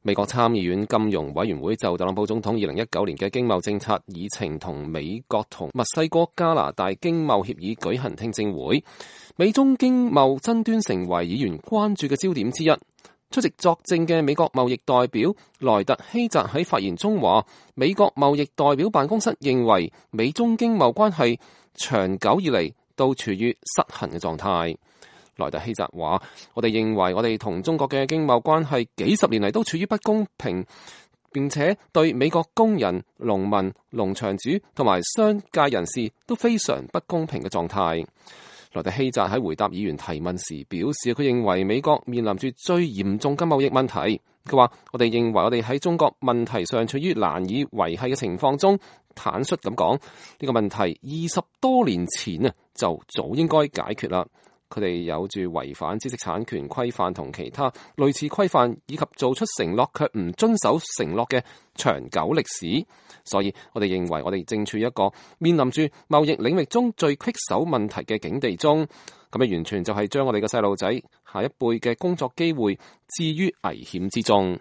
美國參議院金融委員會就特朗普總統2019年嘅經貿政策議程同美國同墨西哥、加拿大經貿協議舉行聽證會，美中經貿爭端成為議員關注嘅焦點之一。出席作證嘅美國貿易代表萊特希澤喺發言中話，美國貿易代表辦公室認為美中經貿關係長久以嚟都處於失衡嘅狀態。萊特希澤話：我哋認為我哋同中國嘅經貿關係幾十年嚟都處於不公平，並且對美國工人、農民、農場主同埋商界人士都非常不公平嘅狀態。萊特希澤喺回答議員提問時表示，佢認為美國面臨住最嚴重嘅貿易問題。佢話：我哋認為我哋喺中國問題上處於難以維繫嘅情況中，坦率咁講，呢個問題20多年前啊就早應該解決啦。佢哋有住違反知識產權規範同其他類似規範，以及做出承諾卻唔遵守承諾嘅長久歷史。所以我哋認為我哋正處於一個面臨住貿易領域中最棘手問題嘅境地中。咁樣完全就係將我哋嘅細路仔下一輩嘅工作機會置於危險之中。